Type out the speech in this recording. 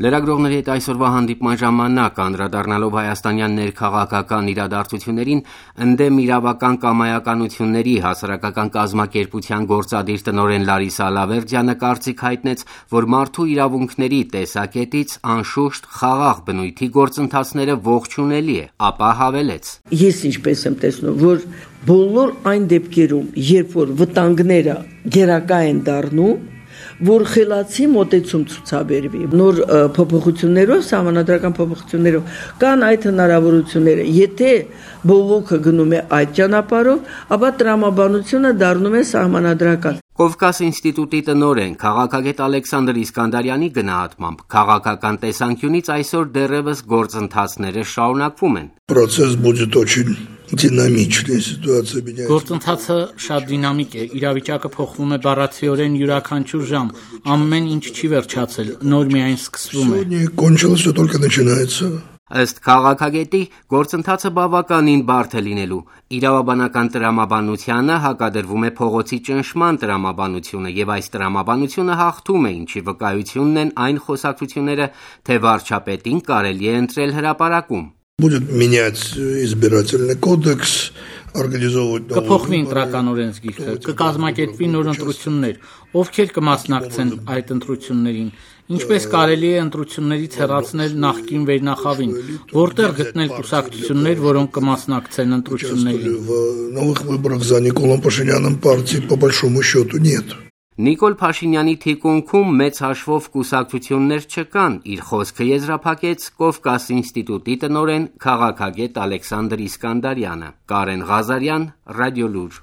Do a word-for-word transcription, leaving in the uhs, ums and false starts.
Լրագրողների հետ այսօրվա հանդիպման ժամանակ անդրադառնալով հայաստանյան ներքաղաքական իրադարձություններին, ընդդեմ իրավական կամայականությունների հասարակական կազմակերպության գործադիր տնօրեն Լարիսա Ալավերդյանը կարծիք հայտնեց, որ մարդու իրավունքների տեսակետից անշուշտ խաղաղ բնույթի գործընթացները ողջունելի է, ապա հավելեց. Ես ինչպես եմ տեսնում, որ բոլոր այն դեպքերում, երբ որ վտանգները գերակա են դառնում, որ խելացի մոտեցում ցուցաբերվի, նոր փոփոխություններով, սահմանադրական փոփոխություններով կան այդ հնարավորությունները։ Եթե բողոքը գնում է այդ ճանապարհով, ապա տրամաբանությունը դառնում է սահմանադրական։ Կովկաս ինստիտուտի տնօրեն քաղաքագետ Ալեքսանդր Իսկանդարյանի գնահատմամբ քաղաքական տեսանկյունից այսօր դեռևս գործընթացները շարունակվում են։ Process будет очень դինամիչն սիտուացիա բինյա։ Գործընթացը շատ դինամիկ է, իրավիճակը փոխվում է բառացիորեն յուրաքանչյուր ժամ, ամեն ինչ չի վերջացել, նոր միայն սկսվում է։ Кончилось, что только начинается։ Ըստ քաղաքագետի գործընթացը բավականին բարդ է լինելու։ Իրավաբանական տրամաբանությանը հակադրվում է փողոցի ճնշման տրամաբանությունը եւ այս տրամաբանությունը հաղթում է, ինչի վկայությունն են այն խոսակցությունները, թե վարչապետին կարելի է ընտրել հրապարակում։ Будет менять избирательный кодекс, организовывать Կփոխվի ընտրական օրենսգիրքը, կկազմակերպվի նոր ընտրություններ, ովքեր կմասնակցեն այդ ընտրություններին, ինչպես կարելի է ընտրություններից հեռացնել նախկին վերնախավին, որտեղ գտնել կուսակցություններ, որոնք կմասնակցեն ընտրություններին։ Новых выборах за Николом Пашиняном партии по большому счету нет։ Նիկոլ Փաշինյանի թիկունքում մեծ հաշվով կուսակցություններ չկան, իր խոսքը եզրափակեց Կովկաս ինստիտուտի տնօրեն քաղաքագետ Ալեքսանդր Իսկանդարյանը։ Կարեն Ղազարյան, Ռադիոլուր։